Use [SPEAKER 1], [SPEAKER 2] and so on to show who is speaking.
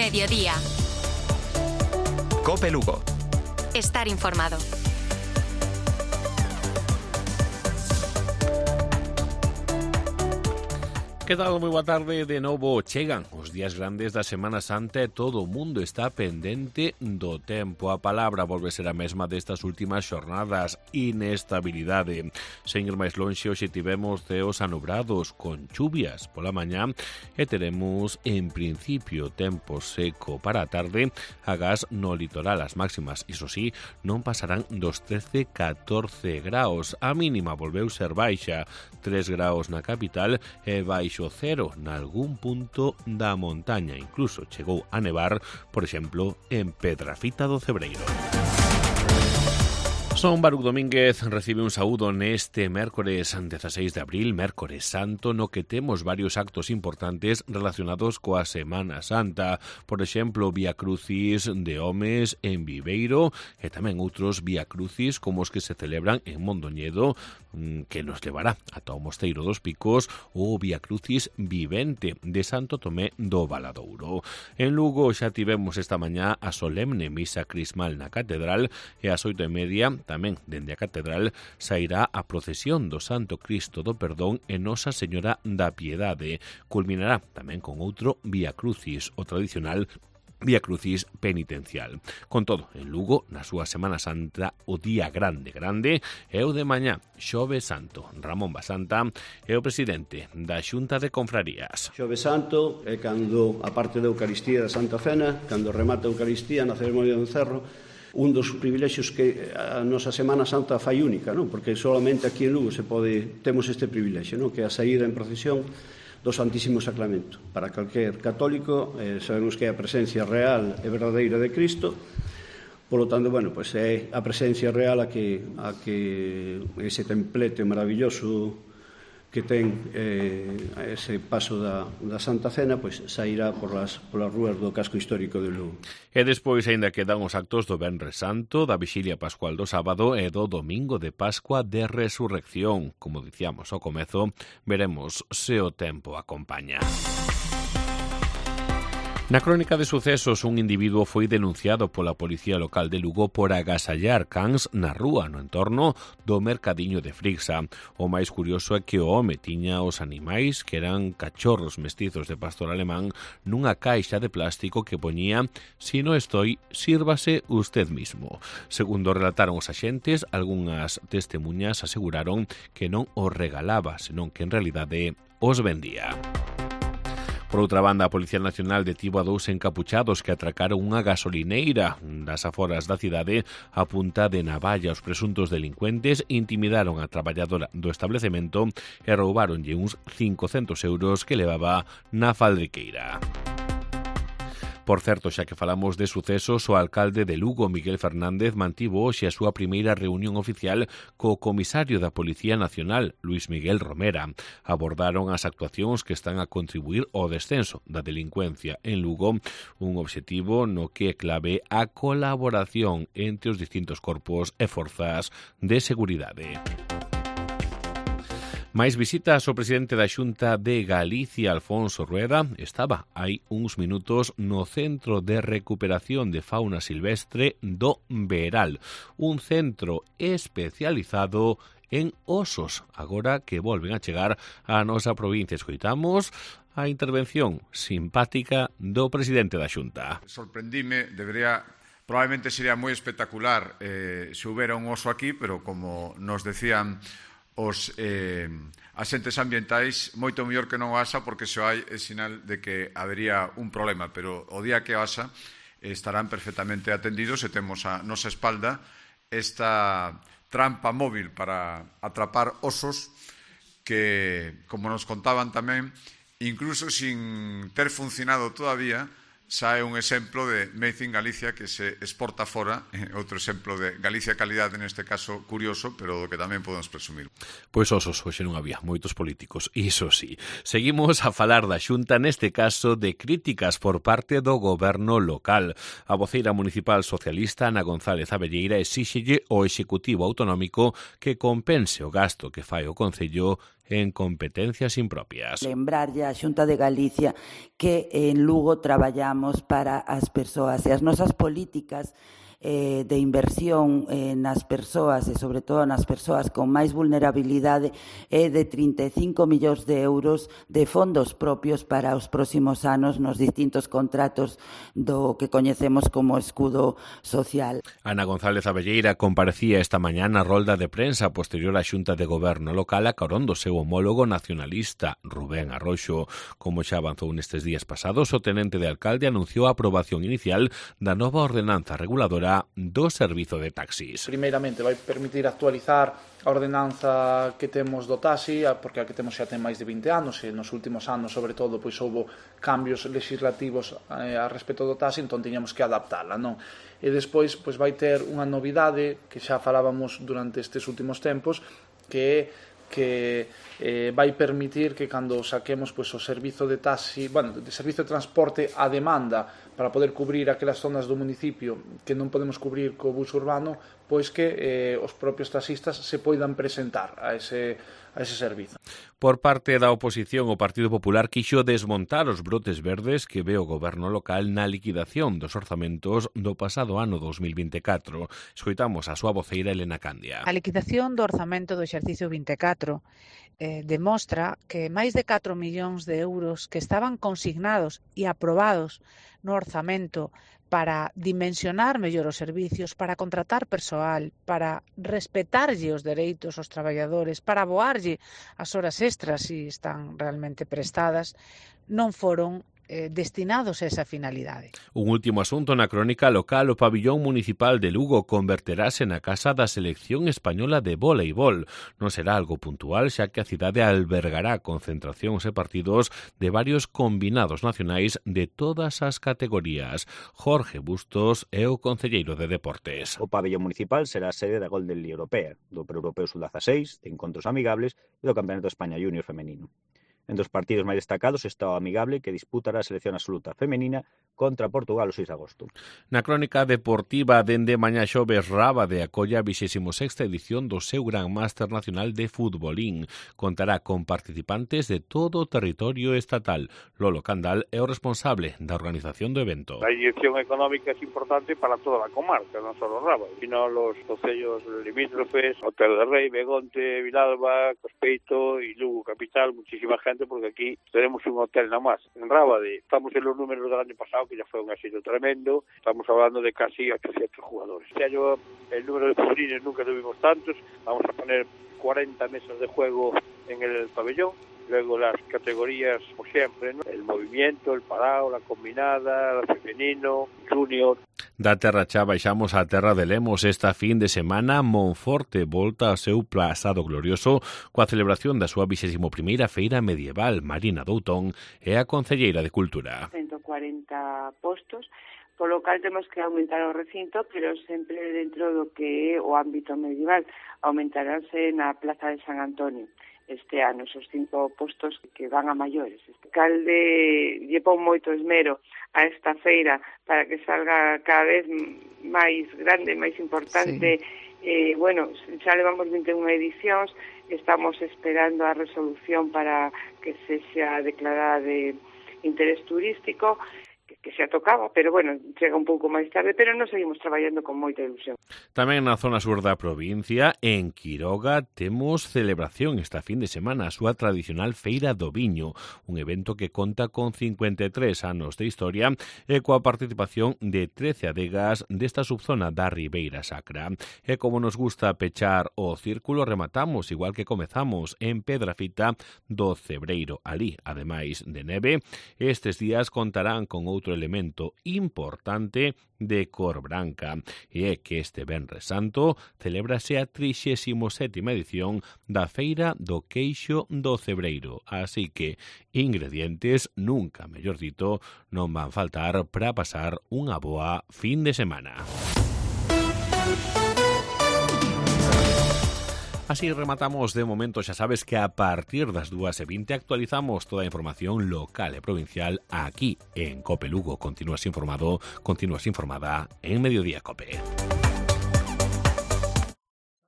[SPEAKER 1] Mediodía.
[SPEAKER 2] COPE Lugo.
[SPEAKER 1] Estar informado.
[SPEAKER 3] Que tal? Moi boa tarde de novo. Chegan os días grandes da Semana Santa e todo o mundo está pendente do tempo. A palabra volve ser a mesma destas últimas xornadas: inestabilidade. Sen ir máis lonxe, hoxe tivemos ceos anubrados con chuvias pola mañá e teremos en principio tempo seco para a tarde. Agás no litoral as máximas, iso sí, non pasarán dos 13-14 graus. A mínima volveu ser baixa, 3 graus na capital e baixo cero nalgún punto da montaña. Incluso chegou a nevar, por exemplo, en Pedrafita do Cebreiro. Son Baruch Domínguez recibe un saúdo neste mércores 16 de abril, mércores santo, no que temos varios actos importantes relacionados coa Semana Santa. Por exemplo, Vía Crucis de homes en Viveiro e tamén outros Vía Crucis como os que se celebran en Mondoñedo, que nos levará ata o Mosteiro dos Picos, ou Vía Crucis vivente de Santo Tomé do Valadouro. En Lugo xa tivemos esta mañá a solemne misa crismal na Catedral e ás 8:30 tamén dende a Catedral sairá a procesión do Santo Cristo do Perdón e Nosa Señora da Piedade. Culminará tamén con outro Vía Crucis, o tradicional Vía Crucis penitencial. Con todo, en Lugo, na súa Semana Santa, o día grande é o de mañá, Xoves Santo. Ramón Basanta é o presidente da Xunta de Confrarías.
[SPEAKER 4] Xoves Santo é cando, a parte da Eucaristía da Santa Cena, cando remata a Eucaristía na ceremonia do encerro, un dos privilexios que a nosa Semana Santa fai única, non? Porque solamente aquí en Lugo temos este privilexio, non? Que é a saída en procesión do Santísimo Sacramento. Para calquer católico, sabemos que é a presencia real e verdadeira de Cristo. Por lo tanto, bueno, pues é a presencia real a que ese templete maravilloso que ten ese paso da Santa Cena, pois sairá polas rúas do casco histórico de Lugo.
[SPEAKER 3] E despois aínda quedan os actos do Venres Santo, da Vixilia Pascual do sábado e do Domingo de Pascua de Resurrección. Como dicíamos ao comezo, veremos se o tempo acompaña. Na crónica de sucesos, un individuo foi denunciado pola Policía Local de Lugo por agasallar cans na rúa no entorno do mercadiño de Frixa. O máis curioso é que o home tiña os animais, que eran cachorros mestizos de pastor alemán, nunha caixa de plástico que poñía «Si no estoy, sírvase usted mismo». Segundo relataron os axentes, algunhas testemuñas aseguraron que non os regalaba, senón que en realidade os vendía. Por outra banda, a Policía Nacional detivo a 2 encapuchados que atracaron unha gasolineira das aforas da cidade a punta de navalla. Os presuntos delincuentes intimidaron a traballadora do establecemento e roubáronlle uns 500 euros que levaba na faldriqueira. Por certo, xa que falamos de sucesos, o alcalde de Lugo, Miguel Fernández, mantivo hoxe a súa primeira reunión oficial co comisario da Policía Nacional, Luis Miguel Romera. Abordaron as actuacións que están a contribuir ao descenso da delincuencia en Lugo, un obxectivo no que é clave a colaboración entre os distintos corpos e forzas de seguridade. Mais visitas ao presidente da Xunta de Galicia, Alfonso Rueda, estaba hai uns minutos no Centro de Recuperación de Fauna Silvestre do Veral, un centro especializado en osos, agora que volven a chegar á nosa provincia. Escoitamos a intervención simpática do presidente da Xunta.
[SPEAKER 5] Sorprendime, probablemente sería moi espectacular se houbera un oso aquí, pero como nos decían os asentes ambientais, moito mellor que non o haxa, porque se o hai é sinal de que habería un problema, pero o día que o haxa estarán perfectamente atendidos e temos a nosa espalda esta trampa móvil para atrapar osos que, como nos contaban tamén, incluso sin ter funcionado todavía, xa é un exemplo de Made in Galicia que se exporta fora, outro exemplo de Galicia calidade, neste caso curioso, pero do que tamén podemos presumir.
[SPEAKER 3] Pois osos, hoxe non había moitos políticos, iso sí. Seguimos a falar da Xunta, neste caso de críticas por parte do goberno local. A voceira municipal socialista, Ana González Abelleira, exíxelle ao Executivo Autonómico que compense o gasto que fai o Concello en competencias impropias.
[SPEAKER 2] Lembrarlle á Xunta de Galicia que en Lugo traballamos para as persoas e as nosas políticas de inversión nas persoas e sobre todo nas persoas con máis vulnerabilidade é de 35 millóns de euros de fondos propios para os próximos anos nos distintos contratos do que coñecemos como escudo social.
[SPEAKER 3] Ana González Abelleira comparecía esta mañá na rolda de prensa posterior á Xunta de Goberno local a carón do seu homólogo nacionalista Rubén Arroxo. Como xa avanzou nestes días pasados, o tenente de alcalde anunciou a aprobación inicial da nova ordenanza reguladora do servizo de taxis.
[SPEAKER 6] Primeiramente vai permitir actualizar a ordenanza que temos do taxi, porque a que temos xa ten máis de 20 anos e nos últimos anos, sobre todo, pois houbo cambios legislativos a respecto do taxi, entón tiñamos que adaptala, non? E despois pois vai ter unha novidade que xa falábamos durante estes últimos tempos, que vai permitir que cando saquemos pois o servizo de taxi, de servizo de transporte a demanda para poder cubrir aquelas zonas do municipio que non podemos cubrir co bus urbano, pois que os propios taxistas se poidan presentar a ese servizo.
[SPEAKER 3] Por parte da oposición, o Partido Popular quixo desmontar os brotes verdes que ve o goberno local na liquidación dos orzamentos do pasado ano 2024. Escoitamos a súa voceira Elena Candia.
[SPEAKER 7] A liquidación do orzamento do exercicio 24 demostra que máis de 4 millóns de euros que estaban consignados e aprobados no orzamento para dimensionar mellor os servicios, para contratar persoal, para respetarlle os dereitos aos traballadores, para aboarlle as horas extras se están realmente prestadas, non foron destinados a esa finalidade.
[SPEAKER 3] Un último asunto na crónica local, o pabillón municipal de Lugo converterase na casa da selección española de voleibol. Non será algo puntual, xa que a cidade albergará concentracións e partidos de varios combinados nacionais de todas as categorías. Jorge Bustos é o concelleiro de Deportes.
[SPEAKER 8] O pabillón municipal será a sede da Golden League Europea, do Pre-Europeo Sub-16, de encontros amigables e do Campeonato de España Junior femenino. Entre os partidos máis destacados está o amigable que disputará a selección absoluta femenina contra Portugal o 6 de agosto.
[SPEAKER 3] Na crónica deportiva, dende mañá xoves, Rábade acolla a 26ª edición do seu Gran Máster Nacional de Futbolín. Contará con participantes de todo o territorio estatal. Lolo Candal é o responsable da organización do evento.
[SPEAKER 9] A inyección económica é importante para toda a comarca, non só Rábade, sino los concellos limítrofes, Hotel de Rei, Begonte, Vilalba, Cospeito e Lugo Capital, muchísima gente, porque aquí tenemos un hotel nada más. En Rábade estamos en los números del año pasado, que ya fue un éxito tremendo, estamos hablando de casi 800 jugadores. Este año el número de futbolines nunca tuvimos tantos, vamos a poner 40 mesas de juego en el pabellón, luego las categorías, como siempre, ¿no? El movimiento, el parado, la combinada, el femenino, junior.
[SPEAKER 3] Da Terra Chá baixamos á Terra de Lemos. Esta fin de semana Monforte volta ao seu pasado glorioso coa celebración da súa 21ª Feira Medieval. Marina Doutón é a concelleira de Cultura.
[SPEAKER 10] 140 postos, polo cal temos que aumentar o recinto, pero sempre dentro do que é o ámbito medieval. Aumentaránse na Plaza de San Antonio este ano, esos 5 postos que van a maiores. Este alcalde lle pon moito esmero a esta feira para que salga cada vez máis grande, máis importante. Sí. Bueno, xa levamos 21 edicións, estamos esperando a resolución para que se xa declarada de interés turístico, que xa tocaba, pero bueno, chega un pouco máis tarde, pero non seguimos traballando con moita ilusión.
[SPEAKER 3] Tamén na zona sur da provincia, en Quiroga, temos celebración esta fin de semana, a súa tradicional Feira do Viño, un evento que conta con 53 anos de historia e coa participación de 13 adegas desta subzona da Ribeira Sacra. E como nos gusta pechar o círculo, rematamos, igual que comezamos, en Pedrafita do Cebreiro. Alí, ademais de neve, estes días contarán con outro elemento importante de cor branca, e é que este Venres Santo celébrase a 37ª edición da Feira do Queixo do Cebreiro, así que ingredientes, nunca mellor dito, non van faltar para pasar unha boa fin de semana. Así rematamos de momento. Xa sabes que a partir das 2:20 actualizamos toda a información local e provincial aquí en Cope Lugo. Continúas informado, continúas informada en Mediodía Cope.